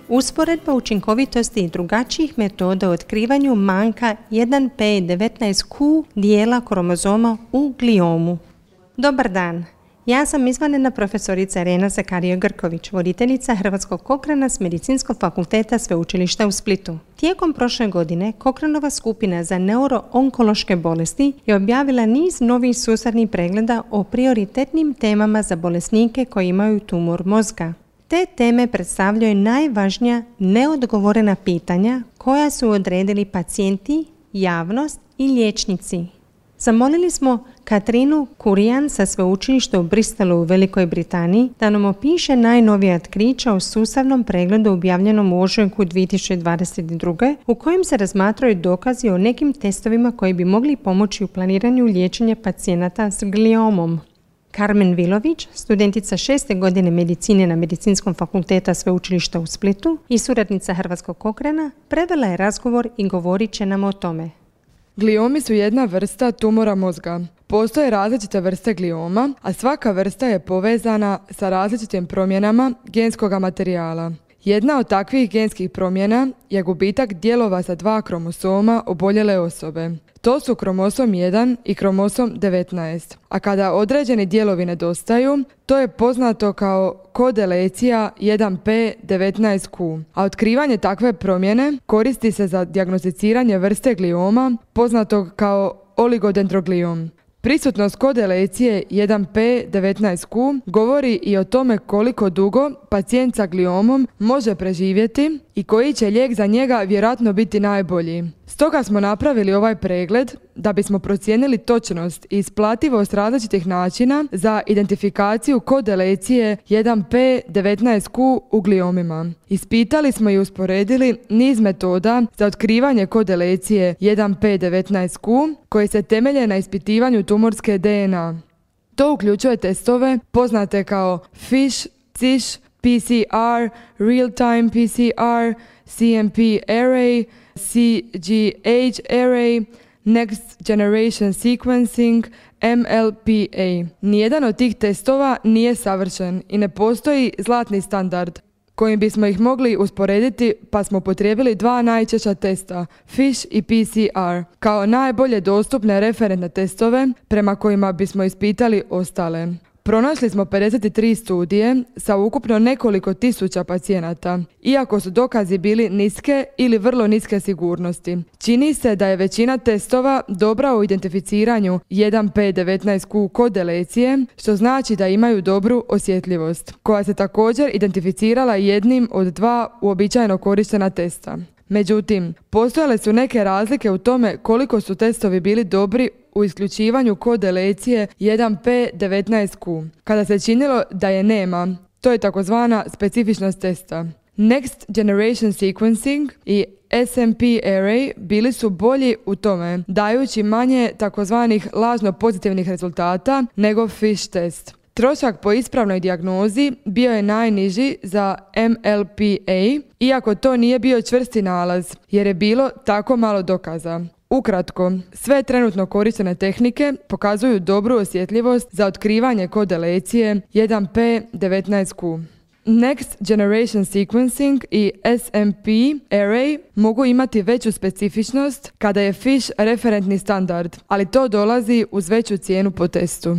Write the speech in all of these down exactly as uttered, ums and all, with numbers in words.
Usporedba učinkovitosti i drugačijih metoda u otkrivanju manjka jedan p devetnaest q dijela kromozoma u gliomu. Dobar dan, ja sam izvanredna profesorica Irena Zakarijo-Grković, voditeljica Hrvatskog Cochrana s Medicinskog fakulteta Sveučilišta u Splitu. Tijekom prošle godine Cochranova skupina za neuroonkološke bolesti je objavila niz novih sustavnih pregleda o prioritetnim temama za bolesnike koji imaju tumor mozga. Te teme predstavljaju najvažnija neodgovorena pitanja koja su odredili pacijenti, javnost i liječnici. Zamolili smo Katrinu Kurijan sa sveučilišta u Bristolu u Velikoj Britaniji da nam opiše najnovija otkrića o sustavnom pregledu objavljenom u ožujku dvije tisuće dvadeset druge. u kojem se razmatraju dokazi o nekim testovima koji bi mogli pomoći u planiranju liječenja pacijenata s gliomom. Karmen Vilović, studentica šeste godine medicine na Medicinskom fakulteta Sveučilišta u Splitu i suradnica Hrvatskog Cochrana, prevela je razgovor i govorit će nam o tome. Gliomi su jedna vrsta tumora mozga. Postoje različite vrste glioma, a svaka vrsta je povezana sa različitim promjenama genskog materijala. Jedna od takvih genskih promjena je gubitak dijelova sa dva kromosoma oboljele osobe. To su kromosom jedan i kromosom devetnaest. A kada određeni dijelovi nedostaju, to je poznato kao kodelecija jedan p devetnaest q. A otkrivanje takve promjene koristi se za dijagnosticiranje vrste glioma poznatog kao oligodendrogliom. Prisutnost kodelecije jedan p devetnaest q govori i o tome koliko dugo pacijent sa gliomom može preživjeti i koji će lijek za njega vjerojatno biti najbolji. Stoga smo napravili ovaj pregled da bismo procijenili točnost i isplativost različitih načina za identifikaciju kodelecije jedan p devetnaest q u gliomima. Ispitali smo i usporedili niz metoda za otkrivanje kodelecije jedan p devetnaest q koje se temelje na ispitivanju tumorske D N A. To uključuje testove poznate kao FISH, CISH, P C R, Real-Time P C R, C M P Array, C G H Array, Next Generation Sequencing, M L P A. Nijedan od tih testova nije savršen i ne postoji zlatni standard kojim bismo ih mogli usporediti, pa smo upotrijebili dva najčešća testa, FISH i P C R, kao najbolje dostupne referentne testove prema kojima bismo ispitali ostale. Pronašli smo pedeset tri studije sa ukupno nekoliko tisuća pacijenata, iako su dokazi bili niske ili vrlo niske sigurnosti. Čini se da je većina testova dobra u identificiranju jedan p devetnaest q kodelecije, što znači da imaju dobru osjetljivost, koja se također identificirala jednim od dva uobičajeno korištena testa. Međutim, postojale su neke razlike u tome koliko su testovi bili dobri u isključivanju kodelecije jedan p devetnaest q. Kada se činilo da je nema, to je takozvana specifičnost testa. Next Generation Sequencing i S M P Array bili su bolji u tome, dajući manje takozvanih lažno pozitivnih rezultata nego FISH test. Trošak po ispravnoj dijagnozi bio je najniži za M L P A, iako to nije bio čvrsti nalaz, jer je bilo tako malo dokaza. Ukratko, sve trenutno korištene tehnike pokazuju dobru osjetljivost za otkrivanje kodelecije jedan p devetnaest q. Next Generation Sequencing i S M P Array mogu imati veću specifičnost kada je FISH referentni standard, ali to dolazi uz veću cijenu po testu.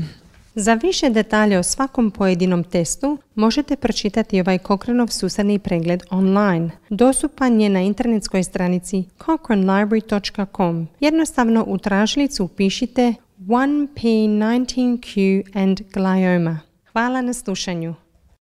Za više detalja o svakom pojedinom testu možete pročitati ovaj Cochranov sustavni pregled online. Dostupan je na internetskoj stranici cochrane library dot com. Jednostavno u tražilicu upišite jedan p devetnaest q and glioma. Hvala na slušanju.